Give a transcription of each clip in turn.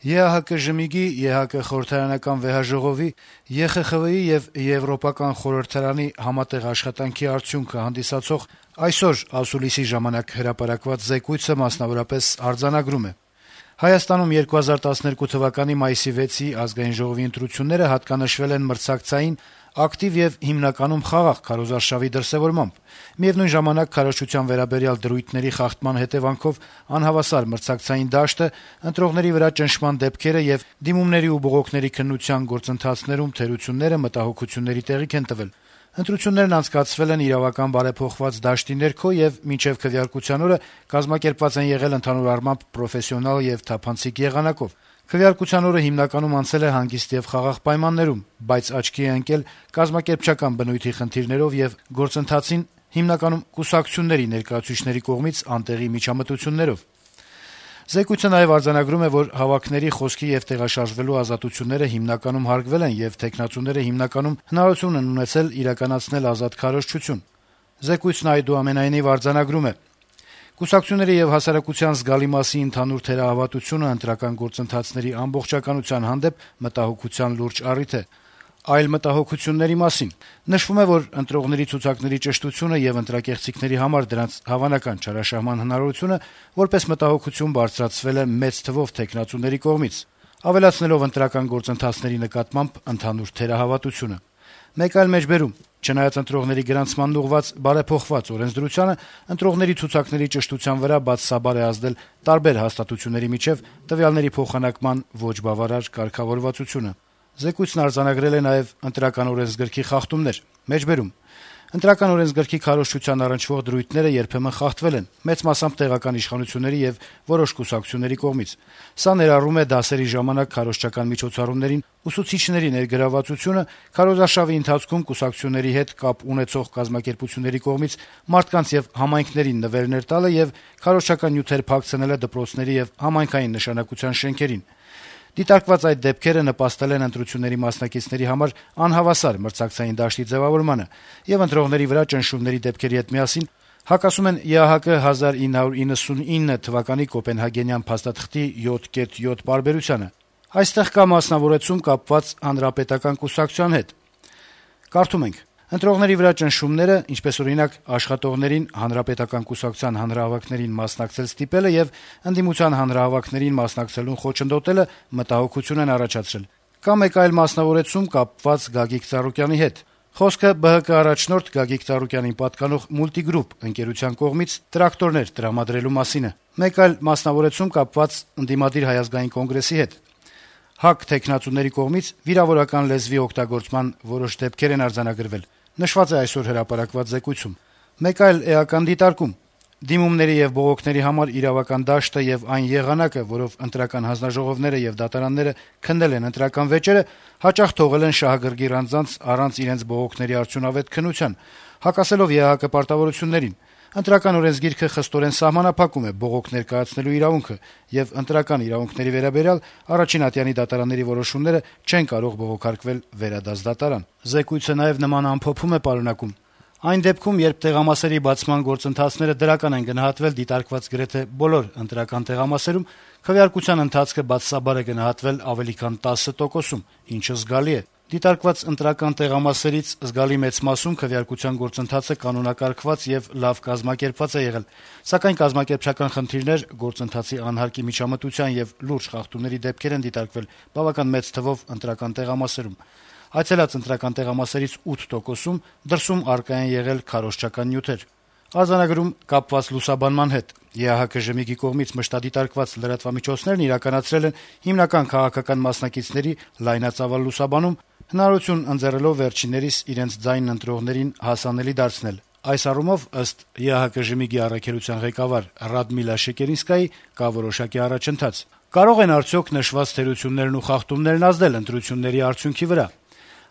ԵԱՀԿ ժմիգի, ԵՀԿ խորհրդարանական վեհաժողովի, ԵԽԽՎ-ի եւ Եվրոպական խորհրդարանի համատեղ աշխատանքի արդյունքը հանդիսացող այսօր ասուլիսի ժամանակ հրապարակված զեկույցը մասնավորապես արձանագրում է. Հայաստանում 2012 թվականի մայիսի 6-ի ազգային ժողովի ընտրությունները հատկանշվել են մրցակցային, ակտիվ եւ հիմնականում խաղաղ քարոզարշավի դրսեւորմամբ։ Միևնույն ժամանակ քարոզչության վերաբերյալ դրույթների խախտման հետևանքով անհավասար մրցակցային դաշտը, ընտրողների վրա ճնշման դեպքերը եւ դիմումների ու բողոքների քննության գործընթացներում թերությունները մտահոգությունների տեղիք են տվել։ Ընտրություններն անցկացվել են իրավական բարեփոխված դաշտի ներքո եւ մինչեւ քվեարկության օրը կազմակերպված են եղել ընդհանուր առմամբ պրոֆեսիոնալ եւ թափանցիկ եղանակով։ Քվեարկության օրը հիմնականում անցել է հանգիստ եւ խաղաղ պայմաններում, բայց աչքի է ընկել կազմակերպչական բնույթի խնդիրներով եւ գործընթացին հիմնականում կուսակցությունների ներկայացուցիչների կողմից անտեղի միջամտություններով։ Զեկույցը նաեւ արձանագրում է, որ հավաքների, խոսքի եւ տեղաշարժվելու ազատությունները հիմնականում հարգվել են եւ թեկնածուները հիմնականում հնարավորություն են ունեցել իրականացնել ազատ քարոզչություն։ Զեկույցն այդուամենայնիվ արձանագրում է. Կուսակցությունների եւ հասարակության զգալի մասի ընդհանուր թերահավատությունը ընտրական գործընթացների ամբողջականության հանդեպ մտահոգության լուրջ առիթ է։ Այլ մտահոգությունների մասին նշվում է, որ ընտրողների ցուցակների ճշտությունը եւ ընտրակեղծիքների համար դրանց հավանական չարաշահման հնարավորությունը որպես մտահոգություն բարձրացվել է մեծ թվով թեկնածուների կողմից, ավելացնելով ընտրական գործընթացների նկատմամբ ընդհանուր թերահավատությունը։ Մեկ այլ մեջբերում. Չնայած ընտրողների գրանցմանն ուղղված բարեփոխված օրենսդրությանը, ընտրողների ցուցակների ճշտության վրա բացասաբար է ազդել տարբեր հաստատությունների միջև տվյալների փոխանակման ոչ բավարար կարգավորվածությունը։ Զեկույցն արձանագրել է նաեւ ընտրական օրենսգրքի խախտումներ։ Մեջբերում. Ընտրական օրենսգրքի քարոզչության առնչվող դրույթները երբեմն խախտվել են, մեծ մասամբ տեղական իշխանությունների եւ որոշ կուսակցությունների կողմից։ Սա ներառում է դասերի ժամանակ քարոզչական միջոցառումներին ուսուցիչների ներգրավվածությունը, քարոզարշավի ընթացքում կուսակցությունների հետ կապ ունեցող կազմակերպությունների կողմից մարդկանց եւ համայնքներին նվերներ տալը եւ քարոզչական նյութեր փակցնելը դպրոցների եւ համայնքային նշանակության շենքերին։ Դիտարկված այդ դեպքերը նպաստել են ընտրությունների մասնակիցների համար անհավասար մրցակցային դաշտի ձևավորմանը եւ ընտրողների վրա ճնշումների դեպքերի հետ միասին հակասում են ԵԱՀԿ 1999 թվականի Կոպենհագենյան փաստաթղթի 7.7 պարբերությանը։ Այստեղ կա մասնավորեցում կապված հանրապետական կուսակցության հետ։ Կարդում ենք. Ընտրողների վրա ճնշումները, ինչպես օրինակ աշխատողներին հանրապետական կուսակցության հանրահավաքներին մասնակցել ստիպելը եւ ընդդիմության հանրահավաքներին մասնակցելուն խոչընդոտելը մտահոգություն են առաջացրել։ Կա մեկ այլ մասնավորեցում կապված Գագիկ Ծառուկյանի հետ։ Խոսքը ԲՀԿ առաջնորդ Գագիկ Ծառուկյանին պատկանող Multigroup ընկերության կողմից տրակտորներ տրամադրելու մասին է։ Մեկ այլ մասնավորեցում կապված ընդդիմադիր Հայ ազգային կոնգրեսի հետ։ ՀԱԿ թեկնածուների կողմից վիրավորական լեզվի օգտագործման որոշ դեպքեր են արձանագրվել։ Նշված է այսօր հրապարակված զեկույցում։ Մեկ այլ էական դիտարկում. դիմումների եւ բողոքների համար իրավական դաշտը եւ այն եղանակը, որով ընտրական հանձնաժողովները եւ դատարանները քննել են ընտրական վեճերը, հաճախ թողել են շահագրգիռ անձանց առանց իրենց բողոքների արդյունավետ քննության, հակասելով ԵԱՀԿ պարտավորություններին։ Ընտրական օրենսգիրքը խստորեն սահմանափակում է բողոք ներկայացնելու իրավունքը եւ ընտրական իրավունքների վերաբերյալ առաջին ատյանի դատարանների որոշումները չեն կարող բողոքարկվել վերադաս դատարան։ Զեկույցը նաեւ նման ամփոփում է պարունակում. Այն դեպքում, երբ տեղամասերի բացման գործընթացները դրական են գնահատվել դիտարկված գրեթե բոլոր ընտրական տեղամասերում, քվեարկության ընթացքը բացասաբար է գնահատվել ավելի քան 10%-ում, ինչը զգալի է։ Դիտարկված ընտրական տեղամասերից զգալի մեծ մասում քվեարկության գործընթացը կանոնակարգված եւ լավ կազմակերպված է եղել, սակայն կազմակերպչական խնդիրներ, գործընթացի անհարկի միջամտության եւ լուրջ խախտումների դեպքեր են դիտարկվել բավական մեծ թվով ընտրական տեղամասերում։ Այցելած ընտրական տեղամասերից 8%-ում դրսում առկա են եղել քարոզչական նյութեր։ Արձանագրում կապված լուսաբանման հետ ԵԱՀԿ ժմիգի կողմից մշտադիտարկված լրատվամիջոցներն իրականացրել են հիմնական քաղաքական մասնակիցների լայնածավալ լուսաբանում, հնարավորություն ընձեռելով վերջիններիս իրենց ձայնն ընտրողներին հասանելի դարձնել։ Այս առումով, ըստ ԵԱՀԿ ժմիգի առաքելության ղեկավար Ռադմիլա Շեկերինսկայի, կա որոշակի առաջընթաց։ Կարող են արդյոք նշված թերություններն ու խախտումներն ազդել ընտրությունների արդյունքի վրա։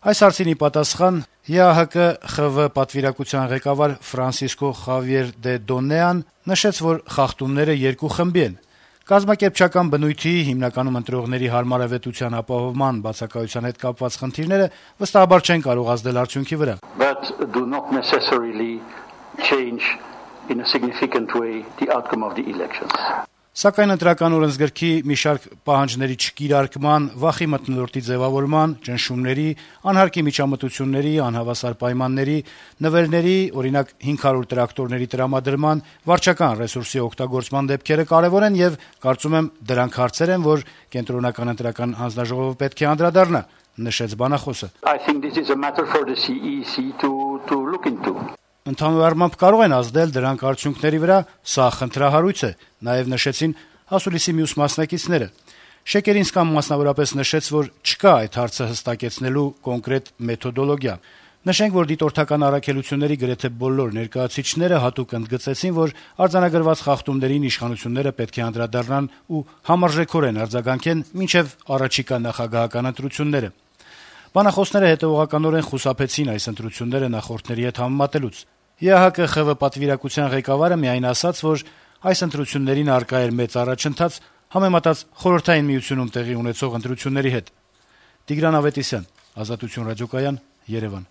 Այս հարցին ի պատասխան ԵԱՀԿ ԽՎ պատվիրակության ղեկավար Ֆրանսիսկո Խավիեր դե Դոնեան նշեց, որ խախտումները երկու խմբի են։ Կազմակերպչական բնույթի, հիմնականում ընտրողների հարմարավետության ապահովման բացակայության հետ կապված խնդիրները վստահաբար չեն կարող ազդել արդյունքի վրա։ But do not necessarily change in a significant way the outcome of the elections. Սակայն ընտրական օրենսգրքի մի շարք պահանջների չկիրարկման, վախի մթնոլորտի ձեւավորման, ճնշումների, անհարկի միջամտությունների, անհավասար պայմանների, նվերների, օրինակ 500 տրակտորների տրամադրման, վարչական ռեսուրսի օգտագործման դեպքերը կարեւոր են եւ կարծում եմ դրանք հարցեր են, որ կենտրոնական ընտրական հանձնաժողովը պետք է անդրադառնա, նշեց բանախոսը. Ընդհանուր առմամբ կարող են ազդել դրանք արդյունքների վրա, սա խնդրահարույց է, նաեւ նշեցին ասուլիսի մյուս մասնակիցները։ Շեկերինսկան մասնավորապես նշեց, որ չկա այդ հարցը հստակեցնելու կոնկրետ մեթոդոլոգիա։ Նշենք, որ դիտորդական առաքելությունների գրեթե բոլոր ներկայացուցիչները հատուկ ընդգծեցին, որ արձանագրված խախտումներին իշխանությունները պետք է անդրադառնան ու համարժեքորեն արձագանքեն մինչեւ առաջիկա նախագահական ընտրությունները։ Բանախոսները հետեւողականորեն խուսափեցին այս ընտրությունները նախորդների հետ համեմատելուց։ ԵԱՀԿ-ԽՎ պատվիրակության ղեկավարը միայն ասաց, որ այս ընտրություններին առկա էր մեծ առաջընթաց համեմատած Խորհրդային Միությունում տեղի ունեցող ընտրությունների հետ։ Տիգրան Ավետիսյան, Ազատություն ռադիոկայան, Երևան։